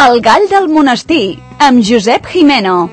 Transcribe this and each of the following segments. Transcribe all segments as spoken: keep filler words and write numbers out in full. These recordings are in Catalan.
El gall del monestir, amb Josep Jimeno.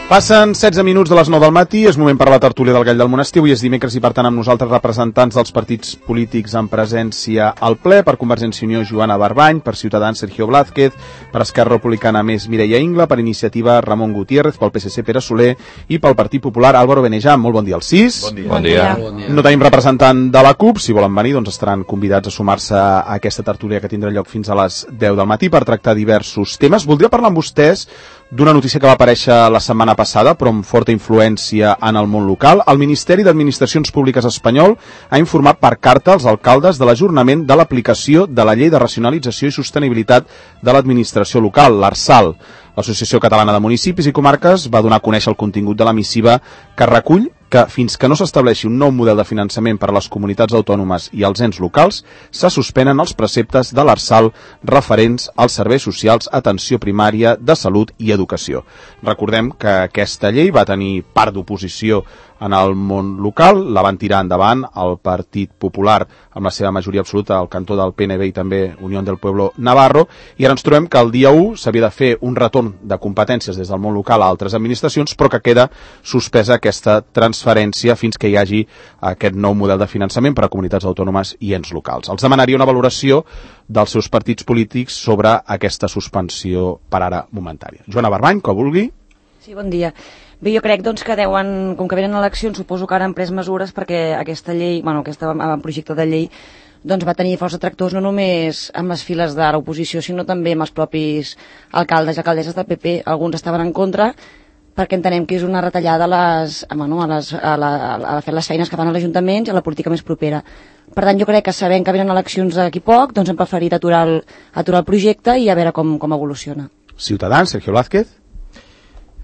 Passen setze minuts de les nou del matí, és moment per la tertúlia del Gall del Monestir. Avui és dimecres i per tant amb nosaltres representants dels partits polítics en presència al ple. Per Convergència i Unió, Joana Barbany; per Ciutadans, Sergio Blázquez; per Esquerra Republicana, més Mireia Ingla; per Iniciativa, Ramon Gutiérrez; pel P S C, Pere Soler; i pel Partit Popular, Álvaro Benejam. Molt bon dia als sis. Bon dia. Bon dia. Bon dia. No tenim representant de la CUP. Si volen venir, doncs estaran convidats a sumar-se a aquesta tertúlia que tindrà lloc fins a les deu del matí per tractar diversos temes. Voldria parlar amb vostès d'una notícia que va aparèixer la setmana passada, però amb forta influència en el món local. El Ministeri d'Administracions Públiques espanyol ha informat per carta als alcaldes de l'ajornament de l'aplicació de la Llei de Racionalització i Sostenibilitat de l'Administració Local, l'Arsal. L'Associació Catalana de Municipis i Comarques va donar a conèixer el contingut de la missiva que recull que fins que no s'estableixi un nou model de finançament per a les comunitats autònomes i els ens locals, se suspenen els preceptes de l'Arsal referents als serveis socials, atenció primària, de salut i educació. Recordem que aquesta llei va tenir part d'oposició en el món local, la van tirar endavant el Partit Popular amb la seva majoria absoluta, el cantó del P N V i també Unión del Pueblo Navarro, i ara ens trobem que el dia u s'havia de fer un retorn de competències des del món local a altres administracions, però que queda suspesa aquesta transferència fins que hi hagi aquest nou model de finançament per a comunitats autònomes i ens locals. Els demanaria una valoració dels seus partits polítics sobre aquesta suspensió per ara momentària. Joana Barbany, que vulgui. Sí, bon dia. Bé, jo crec doncs, que deuen, com que venen eleccions, suposo que ara han pres mesures perquè aquesta llei, bueno, aquest projecte de llei doncs va tenir força tractors no només amb les files de l'oposició, sinó també amb els propis alcaldes i alcaldesses del P P. Alguns estaven en contra perquè entenem que és una retallada a, les, bueno, a, les, a, la, a fer les feines que fan els ajuntaments i a la política més propera. Per tant, jo crec que sabent que venen eleccions d'aquí poc, doncs hem preferit aturar el, aturar el projecte i a veure com, com evoluciona. Ciutadans, Sergio Blázquez.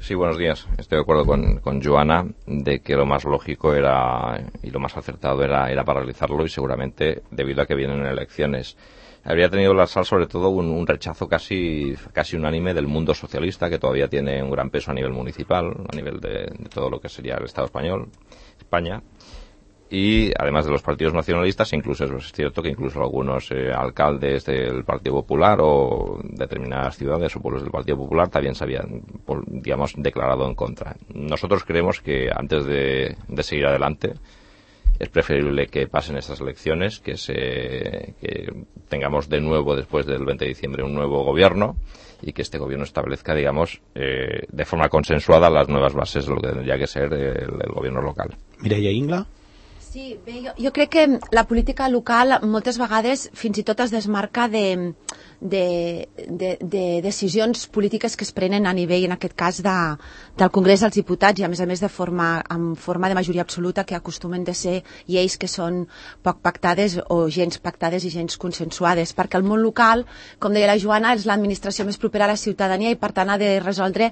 Sí, buenos días. Estoy de acuerdo con, con Joana de que lo más lógico era y lo más acertado era, era paralizarlo y seguramente debido a que vienen elecciones. Habría tenido la Arsal sobre todo un, un rechazo casi, casi unánime del mundo socialista, que todavía tiene un gran peso a nivel municipal, a nivel de, de todo lo que sería el Estado español, España. Y además de los partidos nacionalistas, incluso es cierto que incluso algunos eh, alcaldes del Partido Popular o determinadas ciudades o pueblos del Partido Popular también se habían, digamos, declarado en contra. Nosotros creemos que antes de, de seguir adelante es preferible que pasen estas elecciones, que, se, que tengamos de nuevo después del veinte de diciembre un nuevo gobierno y que este gobierno establezca, digamos, eh, de forma consensuada las nuevas bases de lo que tendría que ser el, el gobierno local. Mireia Ingla. Sí, bé, jo, jo crec que la política local moltes vegades fins i tot es desmarca de, de, de, de decisions polítiques que es prenen a nivell, en aquest cas, de, del Congrés dels Diputats i a més a més de forma, en forma de majoria absoluta, que acostumen de ser lleis que són poc pactades o gens pactades i gens consensuades, perquè el món local, com deia la Joana, és l'administració més propera a la ciutadania i per tant ha de resoldre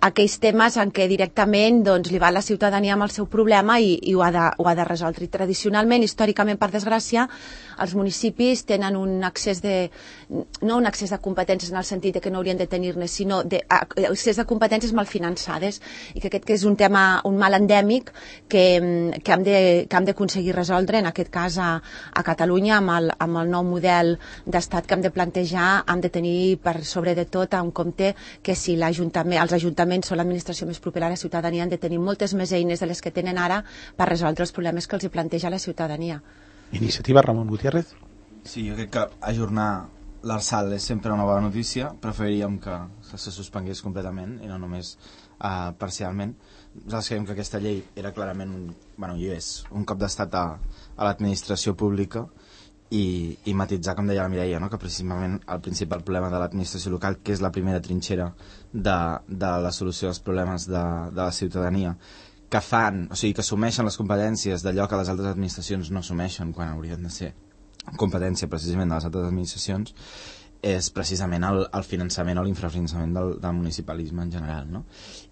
aquells temes en què directament doncs, li va a la ciutadania amb el seu problema i, i ho, ha de, ho ha de resoldre. I tradicionalment, històricament, per desgràcia, els municipis tenen un accés de, no un accés de competències en el sentit de que no haurien de tenir-ne, sinó de, accés de competències mal finançades, i que aquest que és un tema, un mal endèmic que, que hem de, que hem d'aconseguir resoldre, en aquest cas a, a Catalunya, amb el, amb el nou model d'estat que hem de plantejar. Hem de tenir per sobre de tot en compte que si l'Ajuntament, els ajuntaments són l'administració més propera a la ciutadania, han de tenir moltes més eines de les que tenen ara per resoldre els problemes que els planteja la ciutadania. Iniciativa, Ramon Gutiérrez. Sí, jo crec que ajornar l'Arsal és sempre una bona notícia. Preferiríem que se suspengués completament i no només uh, parcialment. Nosaltres creiem que aquesta llei era clarament un, bueno, i és un cop d'estat a, a l'administració pública i, i matitzar, com deia la Mireia, no? Que precisament el principal problema de l'administració local, que és la primera trinxera de, de la solució dels problemes de, de la ciutadania, que fan, o sigui, que assumeixen les competències d'allò que les altres administracions no assumeixen quan haurien de ser competència precisament de les altres administracions, és precisament el, el finançament o l'infrafinançament del, del municipalisme en general, no?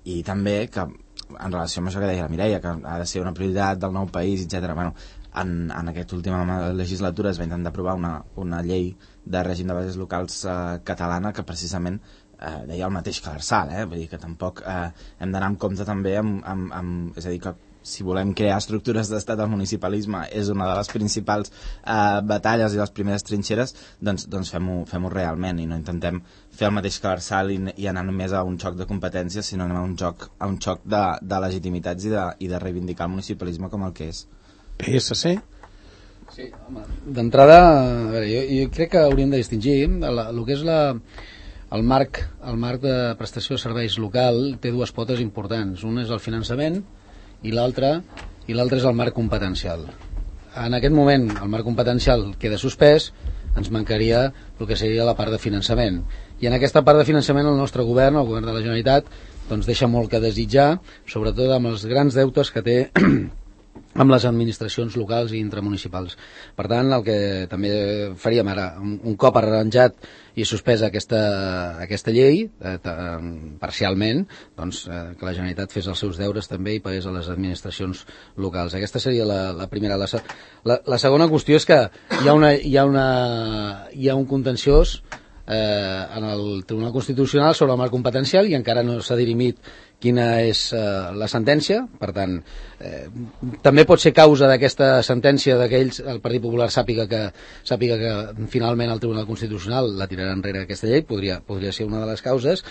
I també que, en relació amb això que deia la Mireia, que ha de ser una prioritat del nou país, etcètera. Bueno, en, en aquesta última legislatura es va intentar aprovar una, una llei de règim de bases locals eh, catalana que precisament eh, deia el mateix que l'Arsal, eh? Vull dir que tampoc eh, hem d'anar en compte també amb, amb, amb, és a dir, que si volem crear estructures d'estat, el municipalisme és una de les principals eh, batalles i les primeres trinxeres, doncs, doncs fem-ho fem-ho realment i no intentem fer el mateix que l'Arsal i, i anar només a un xoc de competències, sinó anem a un xoc, a un xoc de, de legitimitats i de, i de reivindicar el municipalisme com el que és. P S C? Sí, home, d'entrada, a veure, jo, jo crec que hauríem de distingir el, el que és la, el, marc, el marc de prestació de serveis local té dues potes importants. Un és el finançament i l'altre i l'altre és el marc competencial. En aquest moment el marc competencial queda suspès, ens mancaria el que seria la part de finançament. I en aquesta part de finançament el nostre govern, el govern de la Generalitat, doncs deixa molt que desitjar, sobretot amb els grans deutes que té amb les administracions locals i intramunicipals. Per tant, el que també faríem ara, un, un cop arranjat i suspesa aquesta, aquesta llei, eh, parcialment, doncs, eh, que la Generalitat fes els seus deures també i pagués a les administracions locals. Aquesta seria la, la primera. La, la, la segona qüestió és que hi ha, una, hi ha, una, hi ha un contenciós eh, en el Tribunal Constitucional sobre el marc competencial i encara no s'ha dirimit quina és eh, la sentència. Per tant, eh, també pot ser causa d'aquesta sentència d'aquells, el Partit Popular sàpiga que, sàpiga que finalment el Tribunal Constitucional la tirarà enrere aquesta llei, podria, podria ser una de les causes.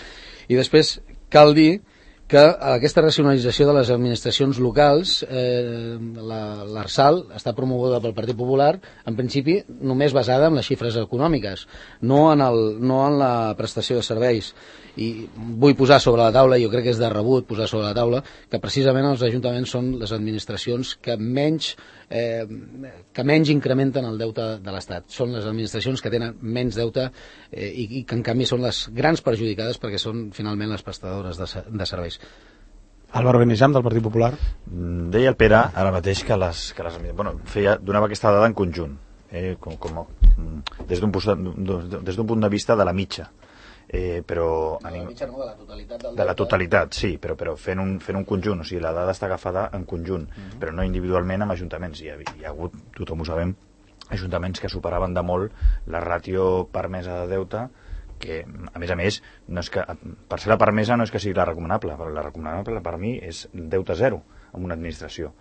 I després cal dir que aquesta racionalització de les administracions locals, eh, l'Arsal està promoguda pel Partit Popular, en principi només basada en les xifres econòmiques, no en, el, no en la prestació de serveis. I vull posar sobre la taula, jo crec que és de rebut posar sobre la taula, que precisament els ajuntaments són les administracions que menys, eh, que menys incrementen el deute de l'Estat. Són les administracions que tenen menys deute eh, i, i que en canvi són les grans perjudicades perquè són finalment les prestadores de, de serveis. Álvaro Benejam, del Partit Popular. Deia el Pere ara mateix que les, que les bueno, feia, donava aquesta dada en conjunt, eh, com, com, des d'un des d'un punt de vista de la mitja. Eh, però de la mitja no, de la totalitat del de la totalitat, sí, però, però fent, un, fent un conjunt, o sigui, la dada està agafada en conjunt, uh -huh. però no individualment amb ajuntaments. Hi ha, hi ha hagut, tothom ho sabem, ajuntaments que superaven de molt la ràtio permesa de deute, que a més a més no és que, per ser la permesa no és que sigui la recomanable, però la recomanable per mi és deute zero en una administració,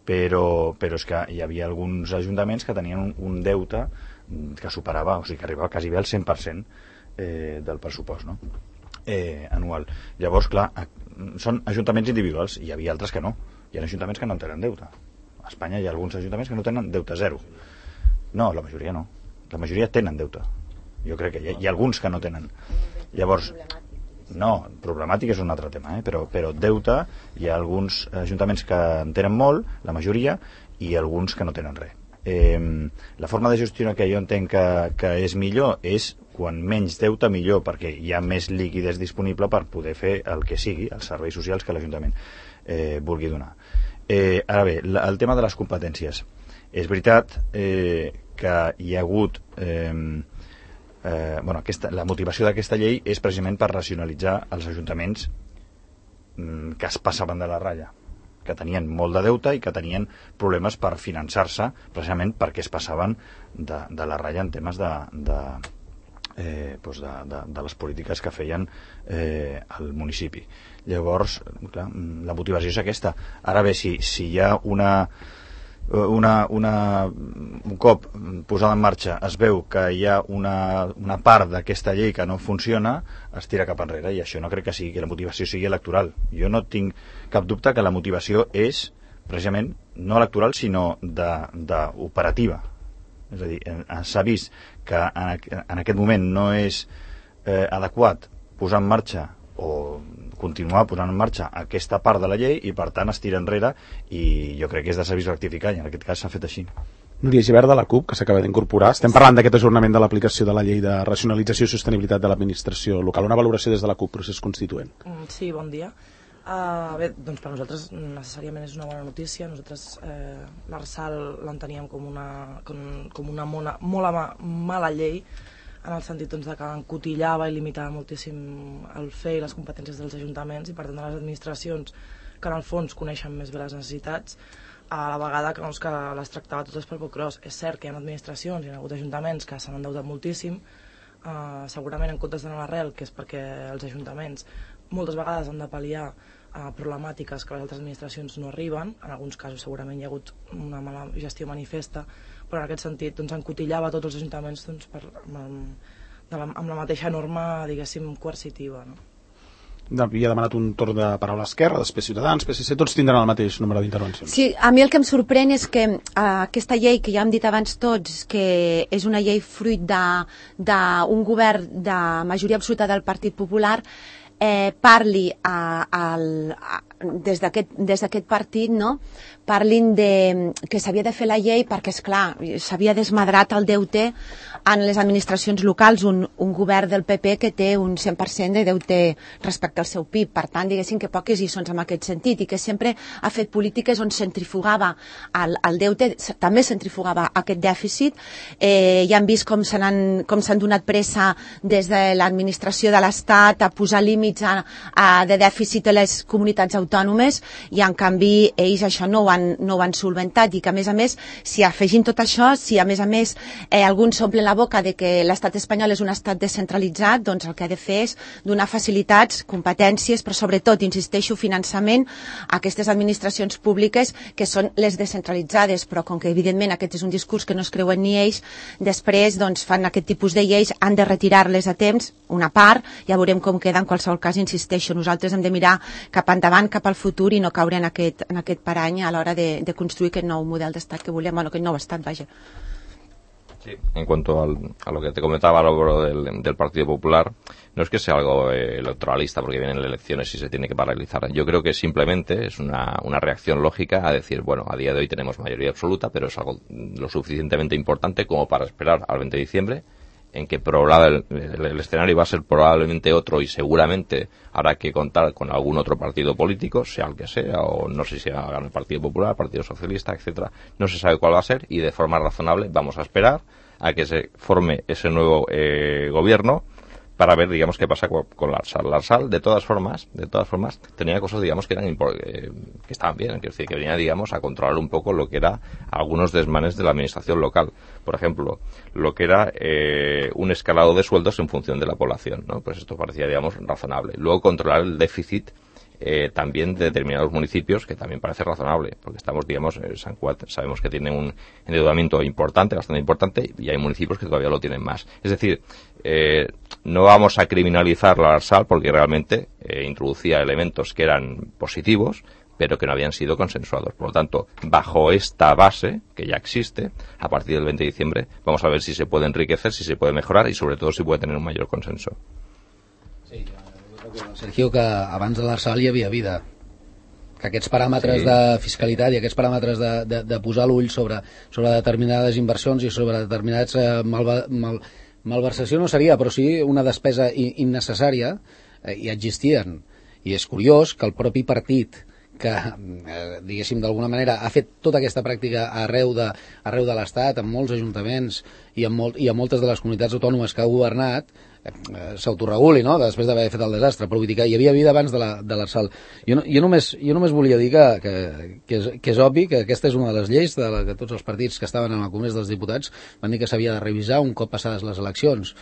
però, però és que hi havia alguns ajuntaments que tenien un, un deute que superava, o sigui que arribava quasi bé al cent per cent eh, del pressupost, no? eh, anual. Llavors, clar, són ajuntaments individuals, i hi havia altres que no. Hi ha ajuntaments que no tenen deute. A Espanya hi ha alguns ajuntaments que no tenen deute zero. No, la majoria no. La majoria tenen deute. Jo crec que hi ha, hi ha alguns que no tenen. Llavors, no, problemàtic és un altre tema, eh? però, però deute, hi ha alguns ajuntaments que en tenen molt, la majoria, i alguns que no tenen res. Eh, la forma de gestionar que jo entenc que, que és millor és quan menys deute millor, perquè hi ha més líquides disponible per poder fer el que sigui, els serveis socials que l'Ajuntament eh, vulgui donar. Eh, ara bé, la, el tema de les competències. És veritat eh, que hi ha hagut eh, eh, bueno, aquesta, la motivació d'aquesta llei és precisament per racionalitzar els ajuntaments mm, que es passaven de la ratlla, que tenien molt de deute i que tenien problemes per finançar-se precisament perquè es passaven de, de la ratlla en temes de, de, eh, doncs de, de, de les polítiques que feien eh, al municipi. Llavors, clar, la motivació és aquesta. Ara bé, si, si hi ha una, una, una, un cop posada en marxa es veu que hi ha una, una part d'aquesta llei que no funciona, es tira cap enrere, i això no crec que sigui que la motivació sigui electoral. Jo no tinc cap dubte que la motivació és precisament no electoral sinó d'operativa. És a dir, s'ha vist que en, en aquest moment no és eh, adequat posar en marxa o continuar posant en marxa aquesta part de la llei i per tant es tira enrere, i jo crec que és de servir rectificar, i en aquest cas s'ha fet així. Núria Gibert, de la CUP, que s'acaba d'incorporar. Estem parlant d'aquest ajornament de l'aplicació de la llei de racionalització i sostenibilitat de l'administració local. Una valoració des de la CUP, procés constituent. Sí, bon dia. Uh, bé, doncs per nosaltres necessàriament és una bona notícia. Nosaltres eh, l'Arsal l'enteníem com una, com, com una mona, molt ama, mala llei, en el sentit doncs, que encotillava i limitava moltíssim el fer i les competències dels ajuntaments i per tant de les administracions que en el fons coneixen més bé les necessitats, a la vegada que, doncs, que les tractava totes per poc gros. És cert que hi ha administracions, hi ha hagut ajuntaments que s'han endeutat moltíssim, eh, segurament en comptes d'anar a l'arrel, que és perquè els ajuntaments moltes vegades han de pal·liar uh, problemàtiques que les altres administracions no arriben. En alguns casos segurament hi ha hagut una mala gestió manifesta, però en aquest sentit doncs, encotillava tots els ajuntaments doncs, per, amb, de la, amb la mateixa norma, diguéssim, coercitiva, no? Havia demanat un torn de paraula a Esquerra, després Ciutadans, P S C, tots tindran el mateix número d'intervencions. Sí, a mi el que em sorprèn és que uh, aquesta llei, que ja hem dit abans tots, que és una llei fruit d'un govern de majoria absoluta del Partit Popular, eh, parli a, a, a, des d'aquest partit, no? Parlin de, que s'havia de fer la llei perquè, esclar, s'havia desmadrat el deute en les administracions locals, un, un govern del P P que té un cent per cent de deute respecte al seu P I B. Per tant, diguéssim que poques lliçons en aquest sentit, i que sempre ha fet polítiques on centrifugava el, el deute, també centrifugava aquest dèficit. Eh, ja hem vist com s'han com s'han donat pressa des de l'administració de l'Estat a posar límits a, a, de dèficit a les comunitats autònomes, i en canvi ells això no ho han, no ho han solventat, i que a més a més, si afegim tot això, si a més a més eh, alguns s'omplen la boca de que l'estat espanyol és un estat descentralitzat, doncs el que ha de fer és donar facilitats, competències, però sobretot, insisteixo, finançament a aquestes administracions públiques que són les descentralitzades, però com que evidentment aquest és un discurs que no es creuen ni ells, després doncs, fan aquest tipus de lleis, han de retirar-les a temps, una part, ja veurem com queda. En qualsevol cas, insisteixo, nosaltres hem de mirar cap endavant, cap al futur, i no caure en aquest, en aquest parany a l'hora de, de construir aquest nou model d'estat que volem, bueno, aquest nou estat, vaja. Sí, en cuanto al, a lo que te comentaba Álvaro del, del Partido Popular, no es que sea algo eh, electoralista porque vienen elecciones y se tiene que paralizar. Yo creo que simplemente es una, una reacción lógica a decir, bueno, a día de hoy tenemos mayoría absoluta, pero es algo lo suficientemente importante como para esperar al veinte de diciembre, en que el, el, el escenario va a ser probablemente otro y seguramente habrá que contar con algún otro partido político, sea el que sea, o no sé si hagan el Partido Popular, Partido Socialista, etcétera. No se sabe cuál va a ser, y de forma razonable vamos a esperar a que se forme ese nuevo eh, gobierno para ver, digamos, qué pasa con, con la ARSAL. La ARSAL, de todas formas, de todas formas, tenía cosas, digamos, que eran eh, que estaban bien, es decir, que venía, digamos, a controlar un poco lo que era algunos desmanes de la administración local. Por ejemplo, lo que era eh, un escalado de sueldos en función de la población, ¿no? Pues esto parecía, digamos, razonable. Luego, controlar el déficit Eh, también de determinados municipios, que también parece razonable, porque estamos, digamos, eh, San Cuat sabemos que tiene un endeudamiento importante, bastante importante, y hay municipios que todavía lo tienen más. Es decir, eh, no vamos a criminalizar la ARSAL porque realmente eh, introducía elementos que eran positivos, pero que no habían sido consensuados. Por lo tanto, bajo esta base, que ya existe, a partir del veinte de diciembre, vamos a ver si se puede enriquecer, si se puede mejorar y, sobre todo, si puede tener un mayor consenso. Sí, Sergio, que abans de l'ARSAL hi havia vida, que aquests paràmetres sí. de fiscalitat i aquests paràmetres de, de, de posar l'ull sobre, sobre determinades inversions i sobre determinats eh, malva, mal, malversació no seria, però sí una despesa innecessària, eh, i existien. I és curiós que el propi partit que, eh, diguéssim, d'alguna manera ha fet tota aquesta pràctica arreu de, arreu de l'Estat, en molts ajuntaments i en, molt, i en moltes de les comunitats autònomes que ha governat, eh, s'autoreguli, no?, després d'haver fet el desastre, però vull dir que hi havia vida abans de l'ARSAL. Jo, no, jo, només, jo només volia dir que, que, que, és, que és obvi que aquesta és una de les lleis de la que tots els partits que estaven en el Congrés dels Diputats van dir que s'havia de revisar un cop passades les eleccions.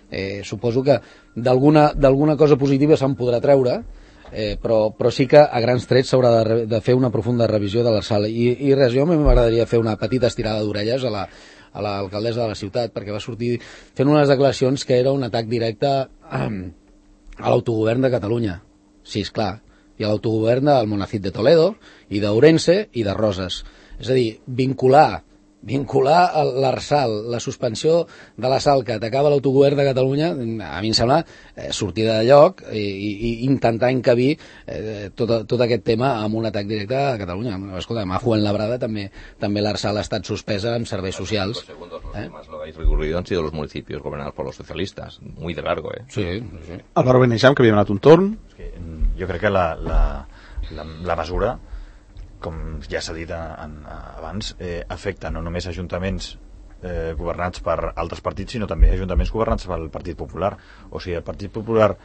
Eh, suposo que d'alguna d'alguna cosa positiva se'n podrà treure, Eh, però, però sí que a grans trets s'haurà de, de fer una profunda revisió de l'ARSAL. I, i res, jo m'agradaria fer una petita estirada d'orelles a la, a l'alcaldessa de la ciutat, perquè va sortir fent unes declaracions que era un atac directe a, a l'autogovern de Catalunya. Sí, esclar, i a l'autogovern del Monacid de Toledo i d'Ourense i de Roses. És a dir, vincular vincular l'ARSAL, la suspensió de l'ARSAL que atacava l'autogovern de Catalunya, a mi em sembla eh, sortida de lloc i, i, i intentar encabir eh, tot, tot aquest tema amb un atac directe a Catalunya. Escolta, a Fuenlabrada també, també l'ARSAL ha estat suspesa en serveis socials. Los segundos, los ¿Eh? Más lo habéis recurrido han sido los municipios gobernados por los socialistas. Muy de largo, ¿eh? Sí, sí. Álvaro Benejam, que havia donat un torn. És que, jo crec que la, la, la, la mesura, com ja s'ha dit en, en, abans, eh, afecta no només ajuntaments eh, governats per altres partits, sinó també ajuntaments governats pel Partit Popular. O sigui, el Partit Popular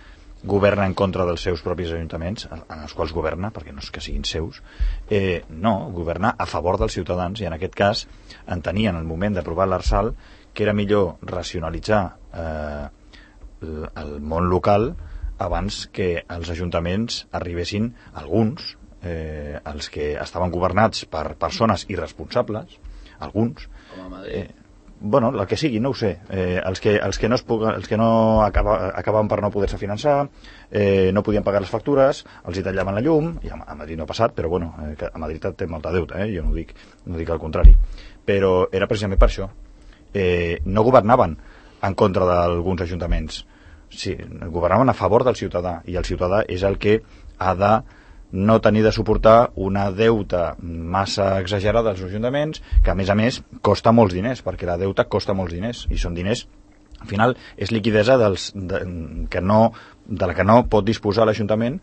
governa en contra dels seus propis ajuntaments, en els quals governa, perquè no és que siguin seus, eh, no, governa a favor dels ciutadans, i en aquest cas entenia en el moment d'aprovar l'ARSAL que era millor racionalitzar eh, el, el món local abans que els ajuntaments arribessin, alguns, eh, els que estaven governats per persones irresponsables, alguns, com a Madrid. eh, bueno, el que sigui, no ho sé, eh, els, que, els que no, es puguen, els que no acaba, acabaven per no poder-se finançar, eh, no podien pagar les factures, els hi tallaven la llum, i a, a Madrid no ha passat, però bueno, eh, a Madrid té molta deuta, eh, jo no dic, no dic el contrari, però era precisament per això. Eh, no governaven en contra d'alguns ajuntaments, sí, governaven a favor del ciutadà, i el ciutadà és el que ha de no tenir de suportar una deuta massa exagerada dels ajuntaments, que a més a més costa molts diners, perquè la deuta costa molts diners, i són diners, al final és liquidesa dels, de, que no, de la que no pot disposar l'Ajuntament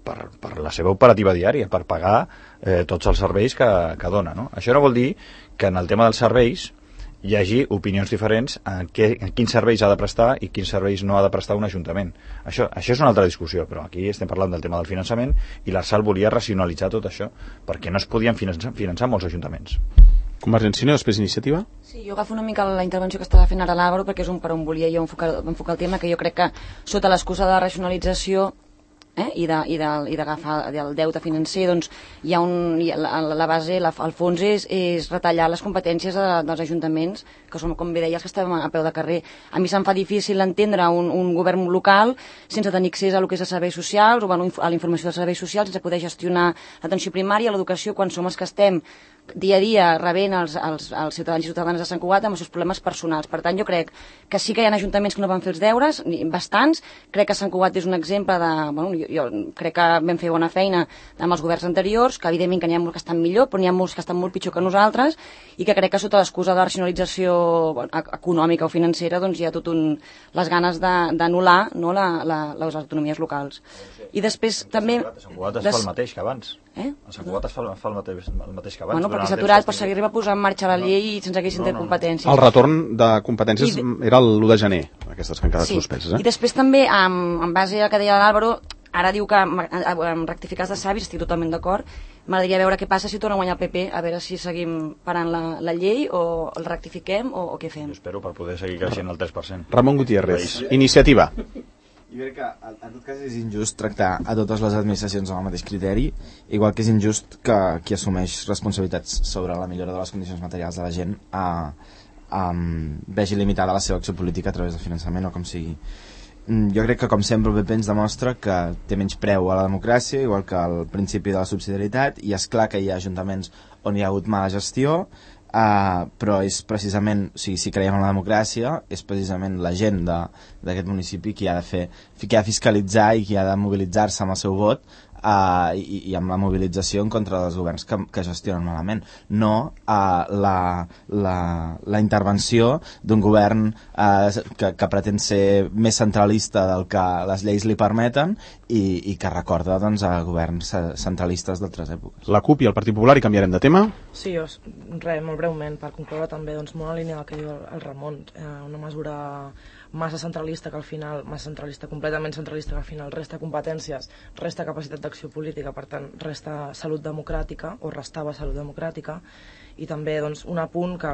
per, per la seva operativa diària, per pagar eh, tots els serveis que, que dona, no? Això no vol dir que en el tema dels serveis hi hagi opinions diferents en, què, en quins serveis ha de prestar i quins serveis no ha de prestar un ajuntament. Això, això és una altra discussió, però aquí estem parlant del tema del finançament i l'Arsal volia racionalitzar tot això, perquè no es podien finançar, finançar molts ajuntaments. Convergència i Unió, després Iniciativa? Sí, jo agafo una mica la intervenció que estava fent ara l'Àlvaro, perquè és un per on volia jo enfocar, enfocar el tema, que jo crec que sota l'excusa de la racionalització eh, i d'agafar el deute financer, doncs hi ha un, hi ha la, la base, la, el fons és, és retallar les competències de, dels ajuntaments, que som, com bé deia, els que estem a peu de carrer. A mi se'm fa difícil entendre un, un govern local sense tenir accés a lo que és a serveis socials o a la informació dels serveis socials, sense poder gestionar l'atenció primària, l'educació, quan som els que estem dia a dia rebent els, els, els ciutadans i ciutadanes de Sant Cugat amb els seus problemes personals. Per tant, jo crec que sí que hi ha ajuntaments que no van fer els deures, bastants. Crec que Sant Cugat és un exemple de... Bueno, jo, jo crec que vam fer bona feina amb els governs anteriors, que evidentment que n'hi ha molts que estan millor, però n'hi ha molts que estan molt pitjor que nosaltres, i que crec que sota l'excusa de la racionalització bueno, econòmica o financera doncs hi ha tot un... les ganes d'anul·lar no, la, la, les autonomies locals. I després també... A Sant Cugat es fa el mateix que abans. Eh? A Sant Cugat es fa, fa el, mateix, el mateix que abans. Bueno, perquè s'ha aturat, però s'arriba a posar en marxa la llei i sense que haguessin no, no, competències. El retorn de competències de... era l'u de gener, aquestes que han quedat sí. suspeses. Eh? I després també, en, en base a que deia l'Àlvaro, ara diu que en rectificats de savis, estic totalment d'acord, m'agradaria veure què passa si torna a guanyar el P P, a veure si seguim parant la, la llei o el rectifiquem o, o què fem. Jo espero per poder seguir creixent el tres per cent. Ramon Gutiérrez, Iniciativa. Jo crec que en tot cas és injust tractar a totes les administracions amb el mateix criteri, igual que és injust que qui assumeix responsabilitats sobre la millora de les condicions materials de la gent a, a, vegi limitada la seva acció política a través del finançament o com sigui. Jo crec que com sempre el P P ens demostra que té menys preu a la democràcia, igual que al principi de la subsidiarietat, i és clar que hi ha ajuntaments on hi ha hagut mala gestió, Uh, però és precisament, o sigui, si creiem en la democràcia, és precisament la gent d'aquest municipi qui ha de fer, qui ha de fiscalitzar i qui ha de mobilitzar-se amb el seu vot uh, i, i amb la mobilització en contra dels governs que, que gestionen malament, no uh, la, la, la intervenció d'un govern uh, que, que pretén ser més centralista del que les lleis li permeten i, i que recorda doncs, a governs centralistes d'altres èpoques. La CUP i el Partit Popular, i canviarem de tema? Sí, jo, res, molt breument, per concloure també, doncs, molt en línia del que diu el, el Ramon, eh, una mesura massa centralista que al final, massa centralista, completament centralista, que al final resta competències, resta capacitat d'acció política, per tant, resta salut democràtica, o restava salut democràtica, i també doncs, un apunt que,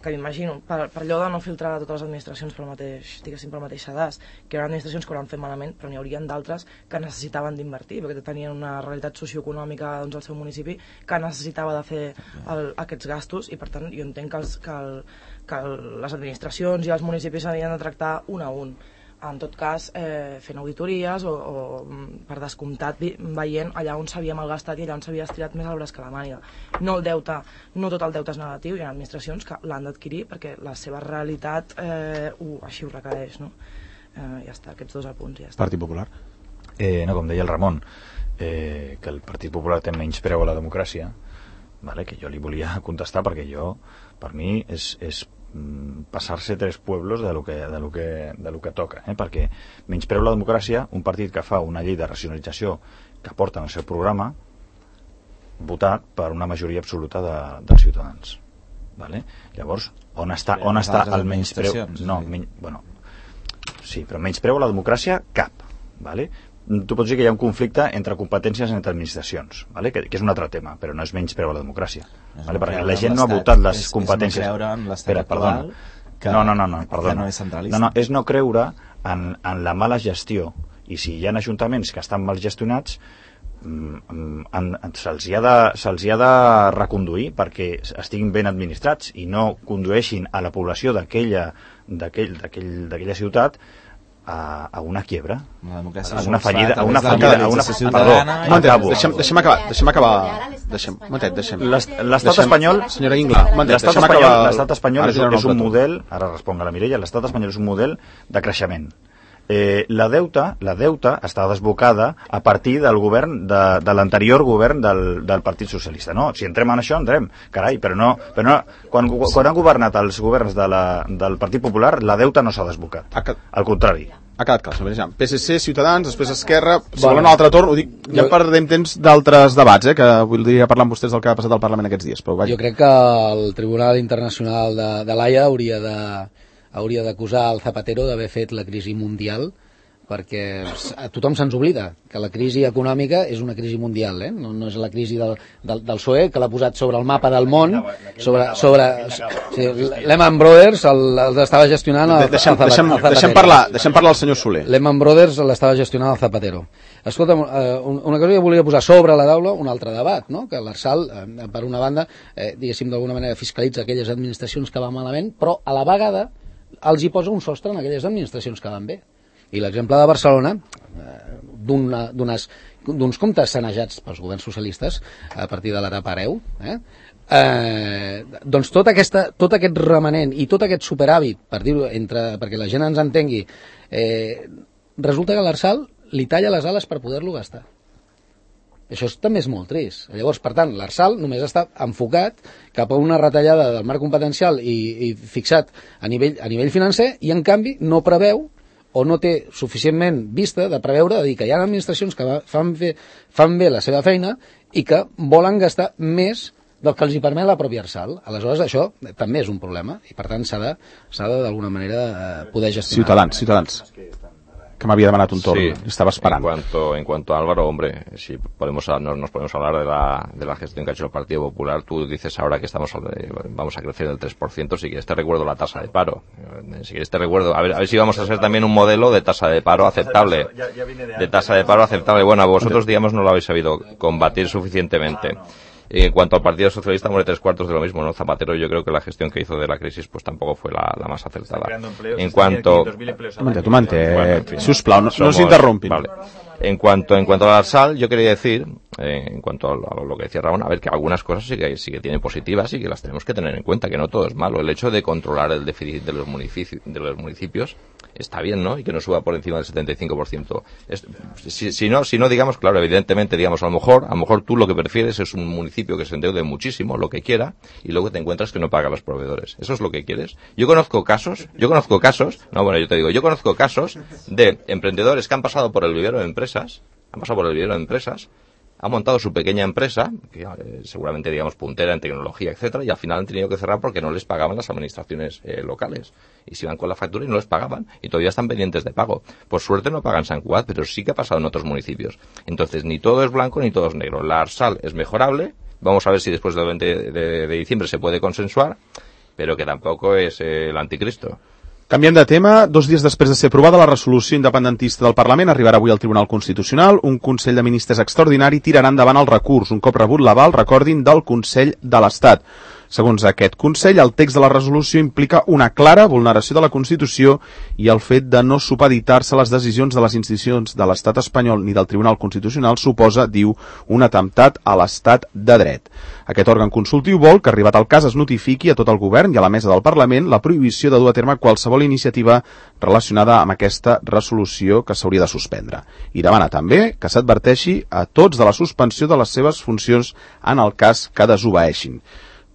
que m'imagino, per, per allò de no filtrar totes les administracions pel mateix, diguéssim, pel mateix sedàs, que hi haurà administracions que ho hauran fet malament, però n'hi haurien d'altres que necessitaven d'invertir, perquè tenien una realitat socioeconòmica doncs, al seu municipi que necessitava de fer el, aquests gastos, i per tant jo entenc que, els, que, el, que el, les administracions i els municipis s'havien de tractar un a un. En tot cas, eh, fent auditories o, o per descomptat veient allà on s'havia malgastat i allà on s'havia estirat més el braç que la màniga. No el deute, no tot el deute és negatiu, hi ha administracions que l'han d'adquirir perquè la seva realitat eh, ho, així ho requereix, no? Eh, ja està, aquests dos apunts, ja està. Partit Popular. Eh, no, com deia el Ramon, eh, que el Partit Popular té menys preu a la democràcia, vale, que jo li volia contestar perquè jo, per mi, és, és passar-se tres pueblos de lo que, de lo que, de lo que toca, eh? Perquè menyspreu la democràcia un partit que fa una llei de racionalització que porta en el seu programa votat per una majoria absoluta de, dels ciutadans, vale? Llavors, on està, on està el menyspreu? No, men, bueno, sí, però menyspreu la democràcia cap, vale? Tu pots dir que hi ha un conflicte entre competències entre administracions, vale? que, que és un altre tema, però no és menys preu a la democràcia, vale? Perquè la gent no ha votat les és, competències. És no creure en l'estat Espera, actual que, no, no, no, no, perdona. Que no és centralista. No, no, és no creure en, en la mala gestió I si hi ha ajuntaments que estan mal gestionats, se'ls ha, de, se'ls ha de reconduir perquè estiguin ben administrats i no condueixin a la població d'aquella d'aquell, d'aquell, d'aquella ciutat a, a una quiebra, a una fallida, a una fallida, a una fallida. Deixem, deixem acabar, deixem acabar. Deixem, momentet, deixem. L'estat espanyol, senyora Ingla, l'estat espanyol, l'estat espanyol és, és un model, ara responc a la Mireia, l'estat espanyol és un model de creixement. Eh, la deuta, la deuta està desbocada a partir del govern de, de l'anterior govern del, del Partit Socialista, no? Si entrem en això, entrem, carai, però no, però no quan, quan han governat els governs de la, del Partit Popular, la deuta no s'ha desbocat, al contrari. Ha quedat clar, P S C, Ciutadans, després Esquerra, si volen un altre torn, ho dic, ja perdem temps d'altres debats, eh, que voldria parlar amb vostès del que ha passat al Parlament aquests dies, però vaja. Jo crec que el Tribunal Internacional de, de l'Haia hauria de hauria d'acusar el Zapatero d'haver fet la crisi mundial, perquè a tothom se'ns oblida que la crisi econòmica és una crisi mundial, eh? no, no és la crisi del, del, del P S O E, que l'ha posat sobre el mapa del món, sobre, sobre sí, Lehman Brothers l'estava gestionant el, deixem, el, deixem, el Zapatero. Deixem parlar, deixem parlar el senyor Soler. Lehman Brothers l'estava gestionant el Zapatero. Escolta, una cosa que volia posar sobre la taula, un altre debat, no? Que l'Arsal, per una banda, eh, diguéssim, d'alguna manera fiscalitza aquelles administracions que van malament, però a la vegada els hi posa un sostre en aquelles administracions que van bé. I l'exemple de Barcelona, eh, d'uns comptes sanejats pels governs socialistes a partir de l'etapa hereu, eh, eh, doncs tot, aquesta, tot aquest remanent i tot aquest superàvit, per dir-ho, entre, perquè la gent ens entengui, eh, resulta que l'Arsal li talla les ales per poder-lo gastar. Això també és molt trist. Llavors, per tant, l'Arsal només està enfocat cap a una retallada del marc competencial i, i fixat a nivell, a nivell financer, i en canvi no preveu o no té suficientment vista de preveure, de dir que hi ha administracions que fan, fe, fan bé la seva feina i que volen gastar més del que els hi permet la pròpia Arsal. Aleshores, això també és un problema i, per tant, s'ha de, s'ha de d'alguna manera, poder gestionar. Ciutadans, ciutadans. Que m'havia demanat un torn, sí, estaba esperando. En cuanto, en cuanto a Álvaro, hombre, si podemos, nos, nos podemos hablar de la, de la gestión que ha hecho el Partido Popular. Tú dices ahora que estamos vamos a crecer del tres por ciento, si quieres te recuerdo la tasa de paro. Si quieres te recuerdo, a ver, a ver si vamos a ser también un modelo de tasa de paro aceptable. De tasa de paro aceptable. Bueno, vosotros, digamos, no lo habéis sabido combatir suficientemente. En cuanto al Partido Socialista, muere tres cuartos de lo mismo, ¿no? Zapatero, yo creo que la gestión que hizo de la crisis pues tampoco fue la, la más acertada. En cuanto... Tu mante, sisplau, no, no s'interrompin. Vale. En cuanto, en cuanto al Arsal, yo quería decir, eh, en cuanto a lo, a lo que decía Ramón, a ver, que algunas cosas sí que, sí que tienen positivas y que las tenemos que tener en cuenta, que no todo es malo. El hecho de controlar el déficit de los municipios, de los municipios está bien, ¿no? Y que no suba por encima del setenta y cinco por ciento. Es, si, si no, si no, digamos, claro, evidentemente, digamos, a lo mejor, a lo mejor tú lo que prefieres es un municipio que se endeude muchísimo, lo que quiera, y luego te encuentras que no paga a los proveedores. ¿Eso es lo que quieres? Yo conozco casos, yo conozco casos, no, bueno, yo te digo, yo conozco casos de emprendedores que han pasado por el vivero de empresas, han pasado por el vivero de empresas, han montado su pequeña empresa, que eh, seguramente, digamos, puntera en tecnología, etcétera, y al final han tenido que cerrar porque no les pagaban las administraciones eh, locales. Y se iban con la factura y no les pagaban, y todavía están pendientes de pago. Por suerte no pagan San Cugat, pero sí que ha pasado en otros municipios. Entonces, ni todo es blanco ni todo es negro. La Arsal es mejorable, vamos a ver si después del veinte de, de diciembre se puede consensuar, pero que tampoco es eh, el anticristo. Canviant de tema, dos dies després de ser aprovada la resolució independentista del Parlament, arribarà avui al Tribunal Constitucional. Un Consell de Ministres extraordinari tirarà endavant el recurs, un cop rebut l'aval, recordin, del Consell de l'Estat. Segons aquest Consell, el text de la resolució implica una clara vulneració de la Constitució i el fet de no supeditar-se a les decisions de les institucions de l'Estat espanyol ni del Tribunal Constitucional suposa, diu, un atemptat a l'Estat de dret. Aquest òrgan consultiu vol que, arribat el cas, es notifiqui a tot el govern i a la mesa del Parlament la prohibició de dur a terme qualsevol iniciativa relacionada amb aquesta resolució que s'hauria de suspendre. I demana també que s'adverteixi a tots de la suspensió de les seves funcions en el cas que desobeeixin.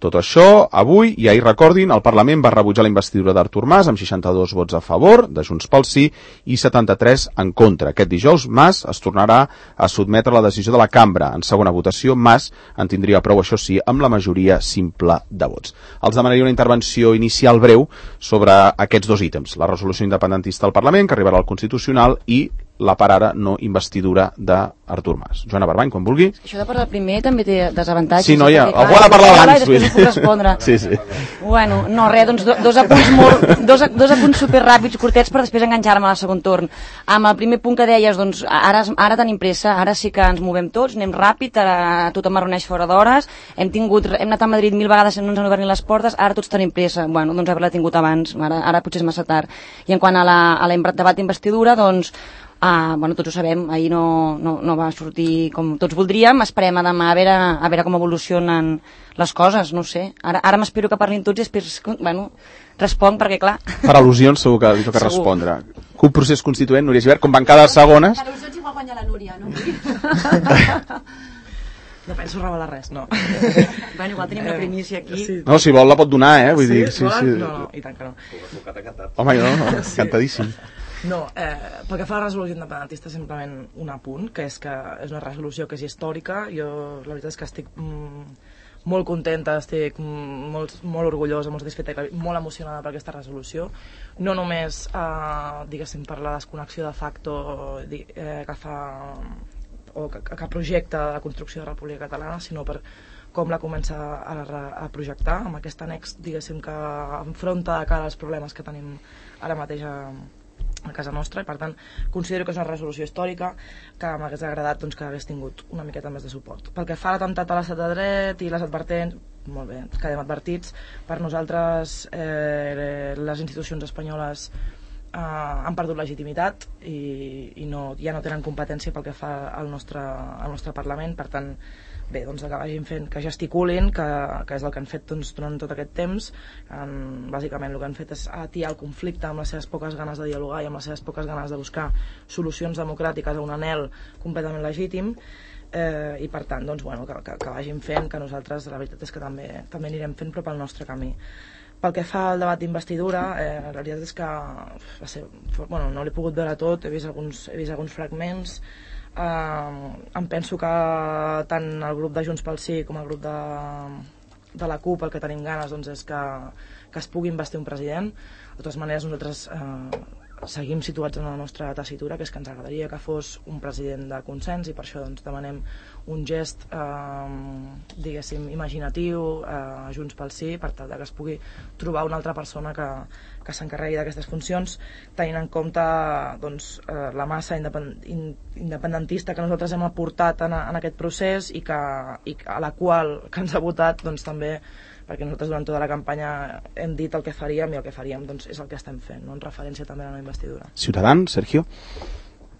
Tot això, avui, i ahir recordin, el Parlament va rebutjar la investidura d'Artur Mas amb seixanta-dos vots a favor, de Junts pel Sí, i setanta-tres en contra. Aquest dijous, Mas es tornarà a sotmetre a la decisió de la cambra. En segona votació, Mas en tindria prou, això sí, amb la majoria simple de vots. Els demanaria una intervenció inicial breu sobre aquests dos ítems, la resolució independentista del Parlament, que arribarà al Constitucional, i la per ara no investidura d'Artur Mas. Joana Barbany, quan vulgui. Això de parlar primer també té desavantatges. Sí, noia, perquè, algú ha de parlar abans. I després ho puc respondre. Sí, sí. Bueno, no, res, doncs do, dos apunts molt, dos, dos apunts superràpids, curtets, per després enganxar-me al segon torn. Amb el primer punt que deies, doncs, ara, ara tenim pressa, ara sí que ens movem tots, anem ràpid, ara tothom es reuneix fora d'hores, hem tingut, hem anat a Madrid mil vegades i no ens han obert ni les portes, ara tots tenim pressa. Bueno, doncs haver-la tingut abans, ara, ara potser és massa tard. I en quant a la, a la debat d'investidura, doncs, ah, bueno, tots ho sabem, ahir no, no, no va sortir com tots voldríem, esperem a demà a veure, a veure com evolucionen les coses, no sé. Ara, ara m'espero que parlin tots i després, bueno, responc perquè, clar... Per al·lusions segur que li toca segur. Respondre. C U P Procés Constituent, Núria Gibert, com van cada segones... Per al·lusions igual guanya la Núria, no? No penso revelar res, no. Bueno, igual tenim una primícia aquí. Sí. No, si vol la pot donar, eh? Vull sí, dir, sí, sí. No, no, i tant que no. Home, no, no, sí. Cantadíssim. No, eh, pel que fa a la resolució independentista, simplement un apunt, que és que és una resolució que és històrica. Jo, la veritat és que estic mm, molt contenta, estic mm, molt, molt orgullosa, molt satisfeta i molt emocionada per aquesta resolució. No només, eh, diguéssim, per la desconnexió de facto eh, que fa... o que, que projecta la construcció de la República Catalana, sinó per com la comença a, a projectar, amb aquest annex, diguéssim, que enfronta de cara als problemes que tenim ara mateix a, a casa nostra, i per tant considero que és una resolució històrica que m'hagués agradat doncs, que hagués tingut una miqueta més de suport. Pel que fa a l'atemptat a l'estat de dret i les advertents, molt bé, quedem advertits. Per nosaltres eh, les institucions espanyoles Uh, han perdut legitimitat i, i no, ja no tenen competència pel que fa al nostre, al nostre Parlament. Per tant, bé, doncs que vagin fent, que gesticulin, que, que és el que han fet doncs, durant tot aquest temps. Um, bàsicament el que han fet és atiar el conflicte amb les seves poques ganes de dialogar i amb les seves poques ganes de buscar solucions democràtiques a un anhel completament legítim. Eh, i per tant, doncs, bueno, que, que, que vagin fent, que nosaltres la veritat és que també, també anirem fent, però pel nostre camí. Pel que fa al debat d'investidura, eh, la veritat és que va ser, bueno, no l'he pogut veure tot, he vist alguns, he vist alguns fragments. Eh, em penso que tant el grup de Junts pel Sí com el grup de, de la C U P el que tenim ganes doncs, és que, que es pugui investir un president. De totes maneres, nosaltres eh, seguim situats en la nostra tessitura, que és que ens agradaria que fos un president de consens, i per això doncs, demanem un gest eh, diguéssim imaginatiu eh, a Junts pel Sí, per tal que es pugui trobar una altra persona que, que s'encarregui d'aquestes funcions, tenint en compte doncs, eh, la massa independ independentista que nosaltres hem aportat en, a, en aquest procés i, que, i a la qual que ens ha votat doncs, també, perquè nosaltres durant tota la campanya hem dit el que faríem, i el que faríem doncs, és el que estem fent, ¿no? En referència també a la investidura. Ciudadans, Sergio.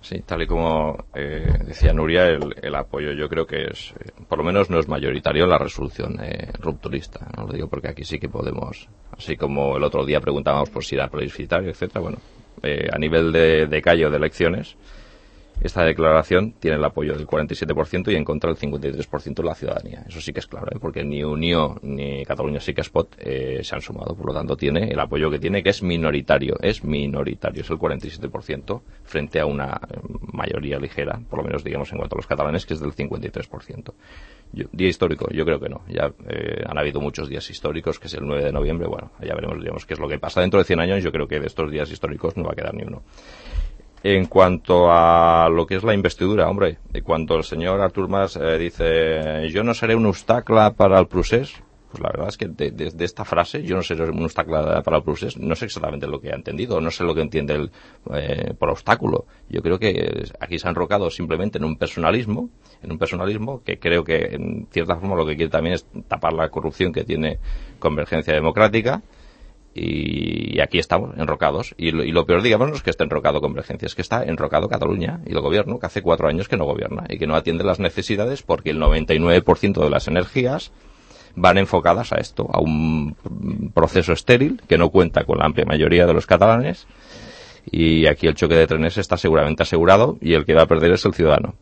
Sí, tal y como eh, decía Nuria, el, el apoyo yo creo que es, eh, por lo menos no es mayoritario en la resolución eh, rupturista, ¿no? Lo digo porque aquí sí que podemos, así como el otro día preguntábamos por si era plebiscitario, etcétera. Bueno, eh, a nivel de, de callo de elecciones, esta declaración tiene el apoyo del cuarenta y siete por ciento y en contra del cincuenta y tres por ciento de la ciudadanía. Eso sí que es claro, ¿eh? Porque ni Unió ni Cataluña Sí que es Pot eh, se han sumado. Por lo tanto, tiene el apoyo que tiene, que es minoritario. Es minoritario, es el cuarenta y siete por ciento frente a una mayoría ligera, por lo menos digamos en cuanto a los catalanes, que es del cincuenta y tres por ciento. Yo, día histórico, yo creo que no. Ya eh, han habido muchos días históricos, que es el nueve de noviembre. Bueno, ya veremos, digamos, qué es lo que pasa. Dentro de cien años yo creo que de estos días históricos no va a quedar ni uno. En cuanto a lo que es la investidura, hombre, cuando el señor Artur Mas eh, dice yo no seré un obstacle para el procés, pues la verdad es que de, de, de esta frase, yo no seré un obstacle para el procés, no sé exactamente lo que ha entendido, no sé lo que entiende el, eh, por obstáculo. Yo creo que aquí se ha enrocado simplemente en un personalismo, en un personalismo que creo que en cierta forma lo que quiere también es tapar la corrupción que tiene Convergencia Democrática. Y aquí estamos, enrocados. Y lo, y lo peor, digamos, no es que esté enrocado Convergencia, es que está enrocado Cataluña y el gobierno, que hace cuatro años que no gobierna y que no atiende las necesidades, porque el noventa y nueve por ciento de las energías van enfocadas a esto, a un proceso estéril que no cuenta con la amplia mayoría de los catalanes, y aquí el choque de trenes está seguramente asegurado y el que va a perder es el ciudadano.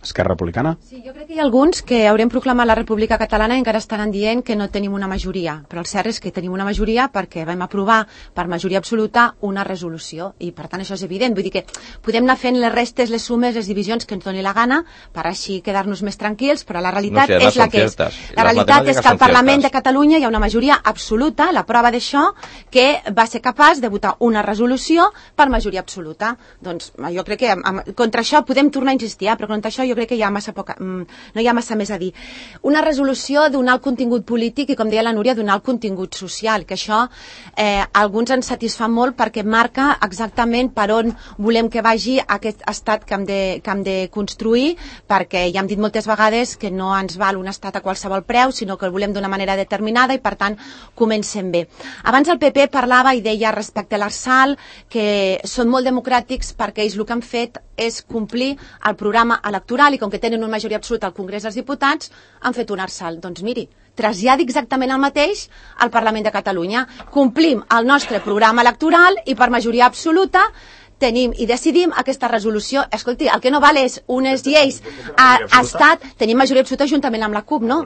Esquerra Republicana? Sí, jo crec que hi ha alguns que haurem proclamat la República Catalana i encara estaran dient que no tenim una majoria, però el cert és que tenim una majoria perquè vam aprovar per majoria absoluta una resolució i per tant això és evident, vull dir que podem anar fent les restes, les sumes, les divisions que ens doni la gana per així quedar-nos més tranquils, però la realitat no sé, és la que és. La realitat és que al Parlament de Catalunya hi ha una majoria absoluta, la prova d'això, que va ser capaç de votar una resolució per majoria absoluta. Doncs jo crec que amb, contra això podem tornar a insistir, eh? Però contra això jo crec que hi ha massa poca, no hi ha massa més a dir. Una resolució d'un alt contingut polític i, com deia la Núria, d'un alt contingut social, que això eh, alguns ens satisfà molt perquè marca exactament per on volem que vagi aquest estat que hem de, que hem de construir, perquè ja hem dit moltes vegades que no ens val un estat a qualsevol preu, sinó que el volem d'una manera determinada i, per tant, comencem bé. Abans el P P parlava i deia respecte a l'Arsal que són molt democràtics perquè ells el que han fet és complir el programa electoral i com que tenen una majoria absoluta al Congrés dels Diputats, han fet un Arsal. Doncs miri, traslladi exactament el mateix al Parlament de Catalunya. Complim el nostre programa electoral i per majoria absoluta tenim i decidim aquesta resolució. Escolti, el que no val és unes lleis a, a estat, tenim majoria absoluta juntament amb la CUP, no?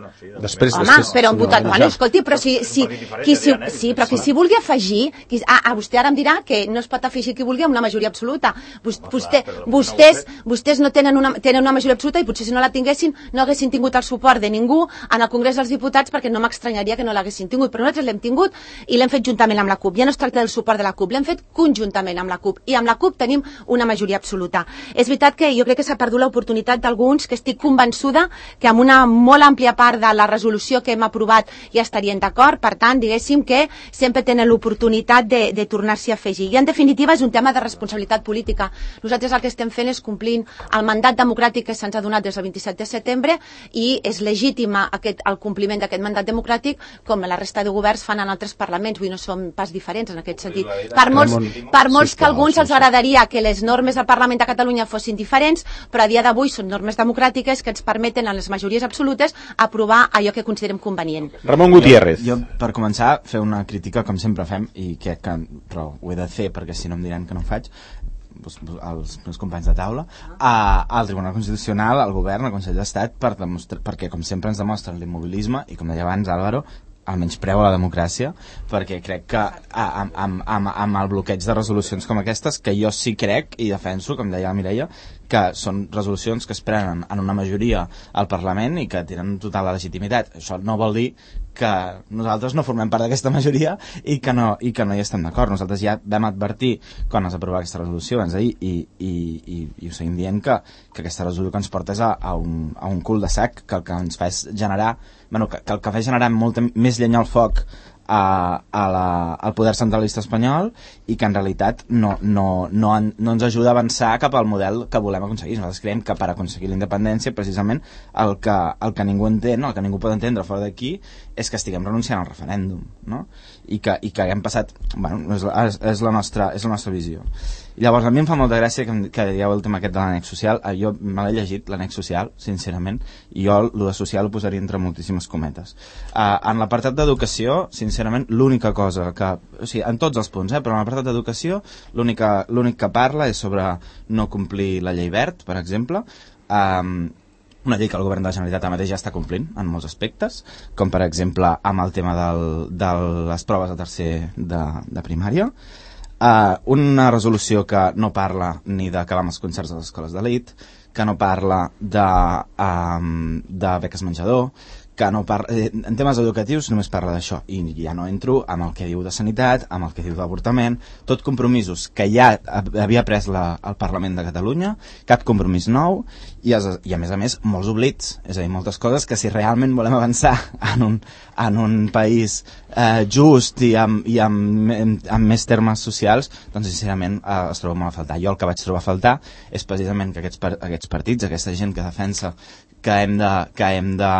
Després, Home, després, però han votat, bueno, escolti, però si, si, qui, si, sí, però qui s'hi vulgui afegir, qui, ah, ah, vostè ara em dirà que no es pot afegir qui vulgui amb una majoria absoluta. Vostè, vostès, vostès no tenen una, tenen una majoria absoluta i potser si no la tinguessin no haguessin tingut el suport de ningú en el Congrés dels Diputats perquè no m'estranyaria que no l'haguessin tingut, però nosaltres l'hem tingut i l'hem fet juntament amb la CUP. Ja no es tracta del suport de la CUP, l'hem fet conjuntament amb la CUP i amb la CUP tenim una majoria absoluta. És veritat que jo crec que s'ha perdut l'oportunitat d'alguns que estic convençuda que amb una molt àmplia part de la resolució que hem aprovat ja estarien d'acord, per tant, diguéssim que sempre tenen l'oportunitat de, de tornar-s'hi a afegir. I en definitiva és un tema de responsabilitat política. Nosaltres el que estem fent és complint el mandat democràtic que se'ns ha donat des del vint-i-set de setembre i és legítima aquest, el compliment d'aquest mandat democràtic com la resta de governs fan en altres parlaments, vull dir, no som pas diferents en aquest sentit. Per molts, per molts que a alguns els agradaria que les normes del Parlament de Catalunya fossin diferents, però a dia d'avui són normes democràtiques que ens permeten en les majories absolutes aprovar allò que considerem convenient. Ramon Gutiérrez. Jo, jo, per començar, fer una crítica com sempre fem, i crec que però ho he de fer perquè si no em diran que no ho faig, els meus companys de taula, a, al Tribunal Constitucional, al Govern, al Consell d'Estat, per perquè com sempre ens demostren l'immobilisme i, com deia abans Álvaro, el menyspreu a la democràcia, perquè crec que amb, amb, amb, amb el bloqueig de resolucions com aquestes, que jo sí crec i defenso, com deia la Mireia, que són resolucions que es prenen en una majoria al Parlament i que tenen total legitimitat. Això no vol dir que nosaltres no formem part d'aquesta majoria i que no, i que no hi estem d'acord. Nosaltres ja vam advertir quan es aprovava aquesta resolució abans d'ahir i, i, i, i ho seguim dient que, que aquesta resolució que ens porta és a, a, un, a un cul de sac, que el que ens fa és generar, bueno, que, que el que fa és generar molta més llenya al foc a, a la, al poder centralista espanyol i que en realitat no, no, no, en, no ens ajuda a avançar cap al model que volem aconseguir. Nosaltres creiem que per aconseguir la independència precisament el que, el que ningú entén, el que ningú pot entendre fora d'aquí és que estiguem renunciant al referèndum, no? I que, i que haguem passat, bueno, és, és, és, la nostra, és la nostra visió. I llavors a mi em fa molta gràcia que, que dieu el tema aquest de l'annex social. Jo me l'he llegit, l'annex social, sincerament, i jo el de social ho posaria entre moltíssimes cometes. Uh, en l'apartat d'educació, sincerament, l'única cosa que, o sigui, en tots els punts, eh, però en l'apartat d'educació l'únic que parla és sobre no complir la llei verd, per exemple, um, una llei que el govern de la Generalitat mateix ja està complint en molts aspectes, com per exemple amb el tema del, de les proves de tercer de, de primària. Uh, una resolució que no parla ni d'acabar amb els concerts de les escoles d'elit, que no parla de, um, de beques menjador, que no parla, en temes educatius només parla d'això, i ja no entro amb el que diu de sanitat, amb el que diu d'avortament, tot compromisos que ja havia pres la, el Parlament de Catalunya, cap compromís nou, i, es, i a més a més molts oblits, és a dir, moltes coses que si realment volem avançar en un, en un país eh, just i, amb, i amb, amb, amb més termes socials, doncs sincerament eh, es troba molt a faltar. Jo el que vaig trobar a faltar és precisament que aquests, aquests partits, aquesta gent que defensa que hem de, que hem de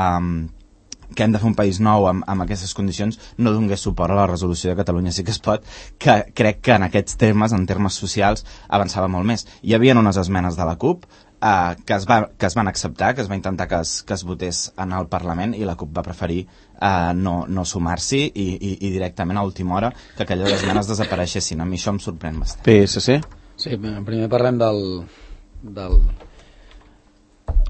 que hem de fer un país nou amb, amb aquestes condicions, no donés suport a la resolució de Catalunya sí que es pot, que crec que en aquests termes, en termes socials, avançava molt més. Hi havia unes esmenes de la CUP eh, que, es va, que es van acceptar, que es va intentar que es, que es votés en el Parlament, i la CUP va preferir eh, no, no sumar-s'hi i, i, i directament a última hora que aquelles esmenes desapareixessin. A mi això em sorprèn bastant. P S C? Sí, primer parlem del... del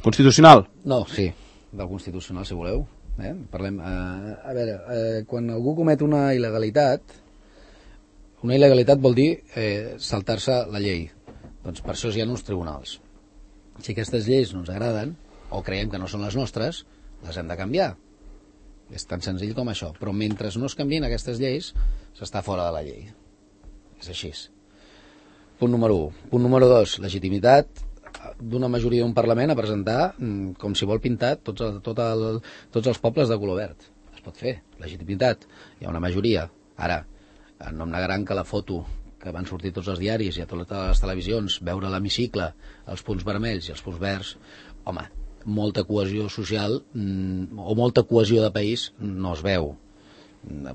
Constitucional? No, sí, del Constitucional, si voleu. Eh? Parlem, eh, a veure, eh, quan algú comet una il·legalitat, una il·legalitat vol dir eh, saltar-se la llei. Doncs per això hi ha uns tribunals. Si aquestes lleis no ens agraden, o creiem que no són les nostres, les hem de canviar. És tan senzill com això. Però mentre no es canvien aquestes lleis, s'està fora de la llei. És així. Punt número u. Punt número dos, legitimitat d'una majoria d'un Parlament a presentar com si vol pintar tots, el, tot el, tots els pobles de color verd. Es pot fer. Legitimitat. Hi ha una majoria. Ara, no em negaran que la foto que van sortir tots els diaris i a totes les televisions, veure l'hemicicle, els punts vermells i els punts verds, home, molta cohesió social mm, o molta cohesió de país no es veu.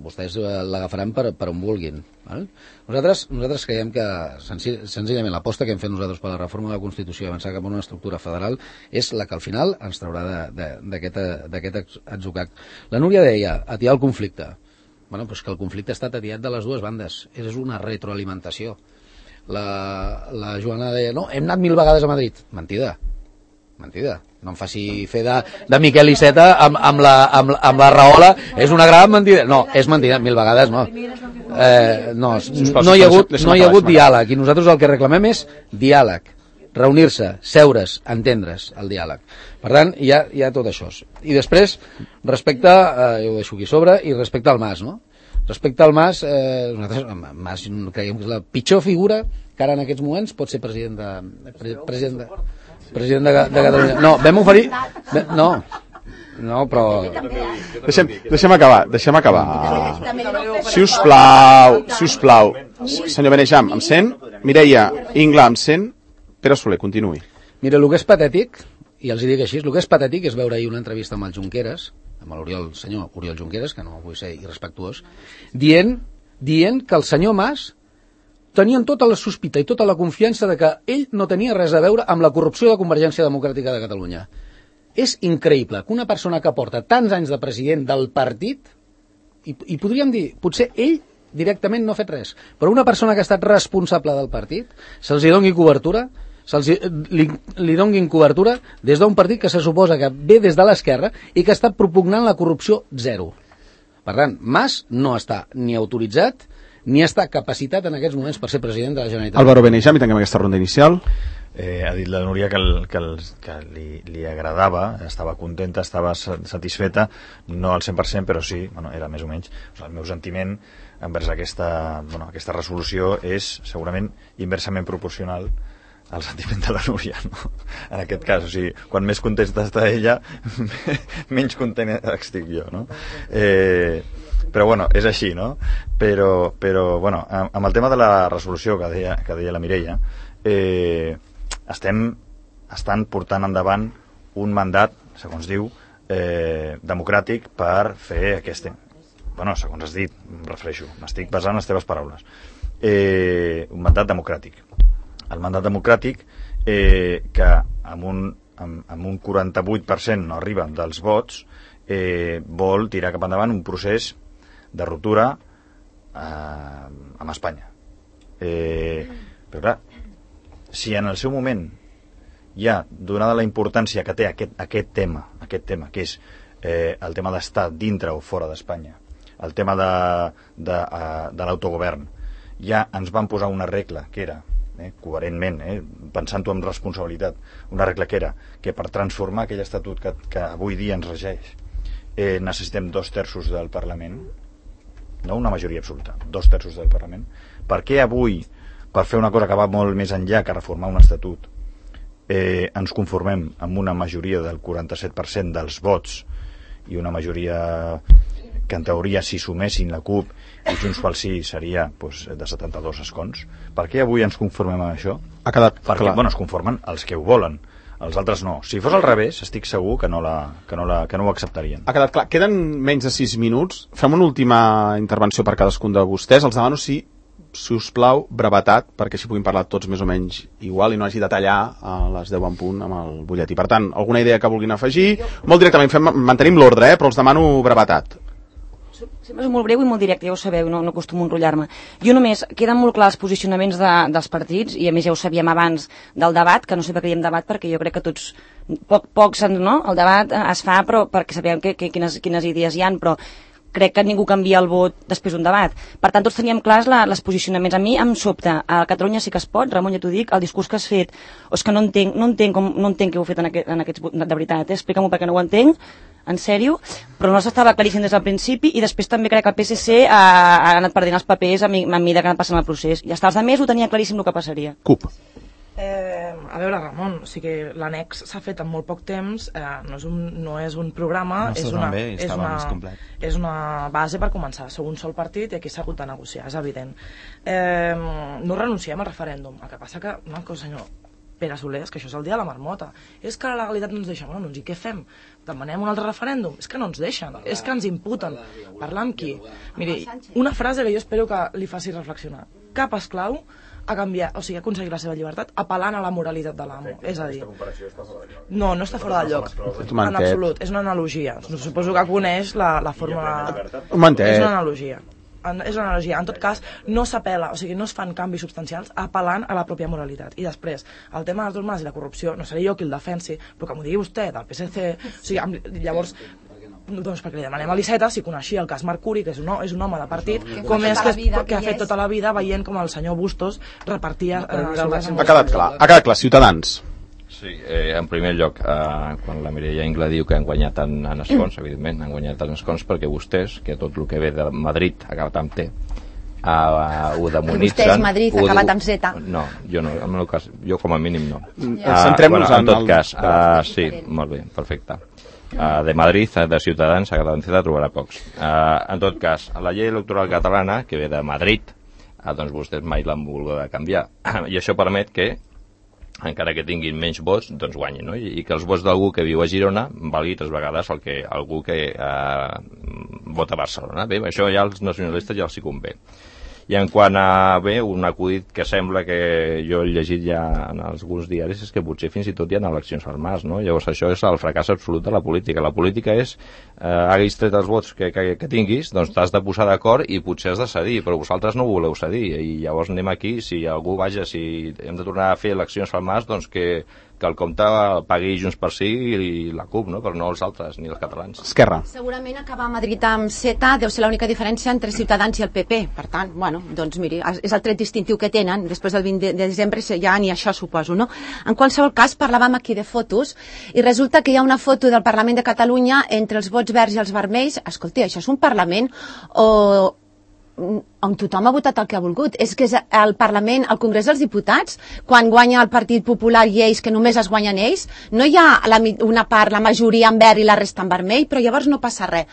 Vostès l'agafaran per, per on vulguin. Val? Nosaltres, nosaltres creiem que senzill, senzillament l'aposta que hem fet nosaltres per la reforma de la Constitució i avançar cap a una estructura federal és la que al final ens traurà d'aquest atzucac. La Núria deia, atiar el conflicte. Bueno, però és que el conflicte està atiat de les dues bandes. És una retroalimentació. La, la Joana deia, no, hem anat mil vegades a Madrid. Mentida. Mentida. No em faci fer de, de Miquel Iceta amb, amb, la, amb, amb la raola. És una gran mentida. No, és mentida, mil vegades no. Eh, no, no hi ha hagut, no hi ha hagut diàleg. I nosaltres el que reclamem és diàleg. Reunir-se, seure's, entendre's el diàleg. Per tant, hi ha, hi ha tot això. I després, respecte, eh, jo ho deixo aquí sobre, i respecte al Mas, no? Respecte al Mas, eh, nosaltres, Mas creiem que és la pitjor figura que ara en aquests moments pot ser president de... Pre, president de, president de, de Catalunya. No, vam oferir... No, no, però... Deixem, deixem acabar, deixem acabar. Si us plau, si us plau. Senyor Benejam, em sent? Mireia Ingla, em sent? Pere Soler, continuï. Mira, el que és patètic, i els dic així, el que és patètic és veure ahir una entrevista amb el Junqueras, amb l'Oriol, el senyor Oriol Junqueras, que no vull ser irrespectuós, dient, dient que el senyor Mas tenien tota la sospita i tota la confiança de que ell no tenia res a veure amb la corrupció de Convergència Democràtica de Catalunya. És increïble que una persona que porta tants anys de president del partit, i, i podríem dir, potser ell directament no ha fet res, però una persona que ha estat responsable del partit, se'ls doni cobertura, se'ls li, li donguin cobertura des d'un partit que se suposa que ve des de l'esquerra i que està propugnant la corrupció zero. Per tant, Mas no està ni autoritzat ni està capacitat en aquests moments per ser president de la Generalitat. Álvaro Benejam, i tanquem aquesta ronda inicial. Eh, ha dit la Núria que, el, que, el, que li, li agradava, estava contenta, estava satisfeta, no al cent per cent, però sí, bueno, era més o menys. O sigui, el meu sentiment envers aquesta, bueno, aquesta resolució és segurament inversament proporcional al sentiment de la Núria, no? En aquest cas, o sigui, quan més contenta està ella, menys content estic jo, no? Eh, però bueno, és així, no? Però, però bueno, amb el tema de la resolució que deia, que deia la Mireia, eh, estem estan portant endavant un mandat, segons diu, eh, democràtic per fer aquest... Bueno, segons has dit, em refereixo, m'estic basant en les teves paraules. Eh, un mandat democràtic. El mandat democràtic eh, que amb un, amb, amb un quaranta-vuit per cent no arriba dels vots, eh, vol tirar cap endavant un procés de ruptura eh, amb Espanya. Eh, però clar, si en el seu moment ja, donada la importància que té aquest, aquest tema, aquest tema, que és eh, el tema d'estar dintre o fora d'Espanya, el tema de, de, de l'autogovern, ja ens van posar una regla que era, eh, coherentment, eh, pensant-ho amb responsabilitat, una regla que era que per transformar aquell estatut que, que avui dia ens regeix eh, necessitem dos terços del Parlament, no una majoria absoluta, dos terços del Parlament. Per què avui, per fer una cosa que va molt més enllà que reformar un estatut, eh, ens conformem amb una majoria del quaranta-set per cent dels vots i una majoria que en teoria si sumessin la CUP i Junts pel Sí seria pues, de setanta-dos escons? Per què avui ens conformem amb això? Ha quedat Perquè, clar. Bueno, es conformen els que ho volen, els altres no. Si fos al revés, estic segur que no, la, que no, la, que no ho acceptarien. Ha quedat clar. Queden menys de sis minuts. Fem una última intervenció per cadascun de vostès. Els demano si, si us plau, brevetat, perquè així puguin parlar tots més o menys igual i no hagi de tallar a les deu en punt amb el butlletí. Per tant, alguna idea que vulguin afegir? Molt directament, fem, mantenim l'ordre, eh, però els demano brevetat. Sempre és molt breu i molt directe, ja ho sabeu, no, no acostumo a enrotllar-me. Jo només, queden molt clars els posicionaments de, dels partits, i a més ja ho sabíem abans del debat, que no sé per què diem debat, perquè jo crec que tots, poc, pocs, no? El debat es fa però perquè sabem que, que, quines, quines idees hi han, però crec que ningú canvia el vot després d'un debat. Per tant, tots teníem clars la, els posicionaments. A mi em sobta, a Catalunya sí que es pot, Ramon, ja t'ho dic, el discurs que has fet, o és que no entenc, no entenc, com, no entenc què heu fet en, aquest, en aquests... De veritat, eh? Explica-m'ho perquè no ho entenc, en sèrio, però no s'estava claríssim des del principi, i després també crec que el P S C ha, ha anat perdent els papers a, mi, a mida que ha anat passant el procés. I hasta els altres ho tenia claríssim el que passaria. CUP. Eh, a veure, Ramon, o sigui que l'annex s'ha fet en molt poc temps, eh, no, és un, no és un programa, no és, una, bé, és, una, és una base per començar. Sou un sol partit i aquí s'ha hagut de negociar, és evident. Eh, no renunciem al referèndum, el que passa que, una cosa, senyor Pere Soler, és que això és el dia de la marmota. És que la legalitat no ens deixa. Bueno, doncs i què fem? Demanem un altre referèndum? És que no ens deixen, és que ens imputen. Parlar amb qui? Miri, una frase que jo espero que li faci reflexionar. Cap esclau a canviar, o sigui, a aconseguir la seva llibertat apel·lant a la moralitat de l'amo. És a dir, no, no està fora de lloc. En absolut, és una analogia. Suposo que coneix la, la fórmula... És una analogia. En, és una analogia. En tot cas, no s'apel·la, o sigui, no es fan canvis substancials apel·lant a la pròpia moralitat. I després, el tema dels normes i la corrupció, no seré jo qui el defensi, però que m'ho digui vostè, del P S C, o sigui, amb, llavors... Doncs perquè li demanem a l'Iceta si coneixia el cas Mercuri, que és un, és un home de partit, com és que, que, que ha fet tota la vida veient com el senyor Bustos repartia... Eh, ha quedat clar, ha quedat clar, Ciutadans. Sí, eh, en primer lloc, eh, quan la Mireia Ingla diu que han guanyat en, en escons, evidentment, han guanyat en escons perquè vostès, que tot el que ve de Madrid ha acabat amb T, uh, ho demonitzen... Vostès, Madrid, ha acabat amb Z. No, jo no, en el cas, jo com a mínim no. Ja. Uh, Centrem-nos bueno, en tot el... cas, uh, sí, molt bé, perfecte. Uh, de Madrid, de Ciutadans, a Catalunya trobarà pocs. Uh, en tot cas, la llei electoral catalana, que ve de Madrid, uh, doncs vostès mai l'han volgut canviar. I això permet que, encara que tinguin menys vots, doncs guanyin, no? I, i que els vots d'algú que viu a Girona valgui tres vegades el que algú que uh, vota a Barcelona. Bé, això ja als nacionalistes ja els hi convé. I en quant a, bé, un acudit que sembla que jo he llegit ja en alguns diaris és que potser fins i tot hi ha eleccions al març, no? Llavors això és el fracàs absolut de la política. La política és, eh, haguis tret els vots que, que, que tinguis, doncs t'has de posar d'acord i potser has de cedir, però vosaltres no voleu cedir. I llavors anem aquí, si algú vaja, si hem de tornar a fer eleccions al març, doncs que que el compte pagui Junts per Sí i la CUP, no? Però no els altres, ni els catalans. Esquerra. Segurament acabar a Madrid amb Z deu ser l'única diferència entre Ciutadans i el P P. Per tant, bueno, doncs miri, és el tret distintiu que tenen. Després del vint de desembre ja ni això suposo, no? En qualsevol cas, parlàvem aquí de fotos i resulta que hi ha una foto del Parlament de Catalunya entre els vots verds i els vermells. Escolti, això és un Parlament o... on tothom ha votat el que ha volgut. És que és el Parlament, el Congrés dels Diputats, quan guanya el Partit Popular i ells, que només es guanyen ells, no hi ha la, una part, la majoria en verd i la resta en vermell, però llavors no passa res.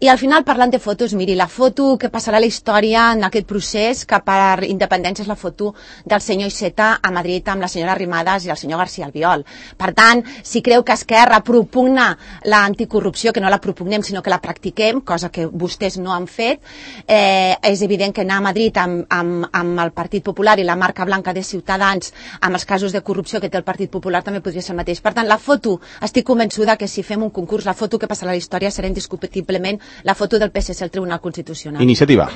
I al final, parlant de fotos, miri, la foto que passarà a la història en aquest procés, que per independència és la foto del senyor Iceta a Madrid amb la senyora Arrimadas i el senyor García Albiol. Per tant, si creu que Esquerra propugna l'anticorrupció, que no la propugnem, sinó que la practiquem, cosa que vostès no han fet, eh, és evident que anar a Madrid amb, amb, amb el Partit Popular i la marca blanca de Ciutadans, amb els casos de corrupció que té el Partit Popular, també podria ser el mateix. Per tant, la foto, estic convençuda que si fem un concurs, la foto que passarà a la història serà indiscutiblement la foto del P S C al Tribunal Constitucional. Iniciativa.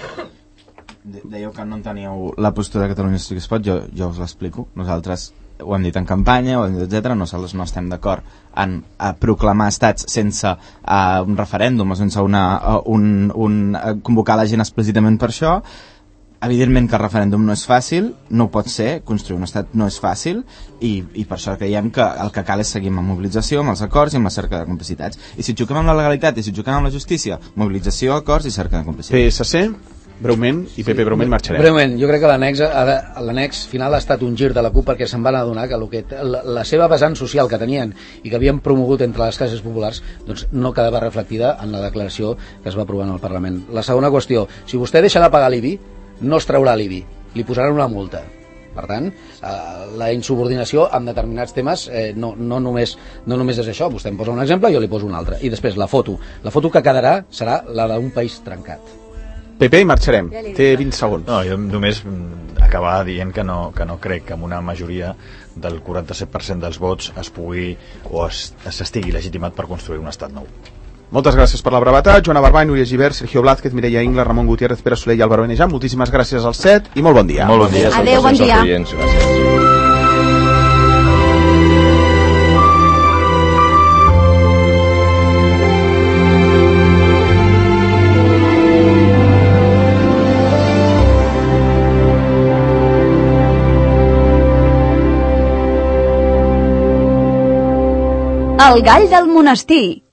Dèieu que no enteníeu la postura de Catalunya Sí que es pot, jo, jo us l'explico. Nosaltres ho hem dit en campanya, ho hem dit, etcètera. Nosaltres no estem d'acord en a proclamar estats sense uh, un referèndum o sense una, uh, un, un, uh, convocar la gent explícitament per això. Evidentment que el referèndum no és fàcil, no ho pot ser, construir un estat no és fàcil i, i per això creiem que el que cal és seguir amb la mobilització, amb els acords i amb la cerca de complicitats. I si xoquem amb la legalitat i si xoquem amb la justícia, mobilització, acords i cerca de complicitats. P S C, breument, i P P breument marxarem. Breument, jo crec que l'annex l'annex final ha estat un gir de la CUP perquè se'n van adonar que, el que la, la seva vessant social que tenien i que havien promogut entre les classes populars doncs no quedava reflectida en la declaració que es va aprovar en el Parlament. La segona qüestió, si vostè deixa de pagar l'I B I, no es traurà l'I B I, li posaran una multa. Per tant, eh, la insubordinació en determinats temes eh, no, no, només, no només és això. Vostè em posa un exemple, jo li poso un altre. I després, la foto. La foto que quedarà serà la d'un país trencat. P P i marxarem. Té vint segons. No, jo només acabar dient que no, que no crec que amb una majoria del quaranta-set per cent dels vots es pugui o s'estigui legitimat per construir un estat nou. Moltes gràcies per la brevetat. Joana Barbany, Núria Gibert, Sergio Blázquez, Mireia Ingla, Ramon Gutiérrez, Pere Soler i Álvaro Benejan. Moltíssimes gràcies als set i molt bon dia. Molt bon dia. Adéu, bon dia. Gràcies. El gall del monestir.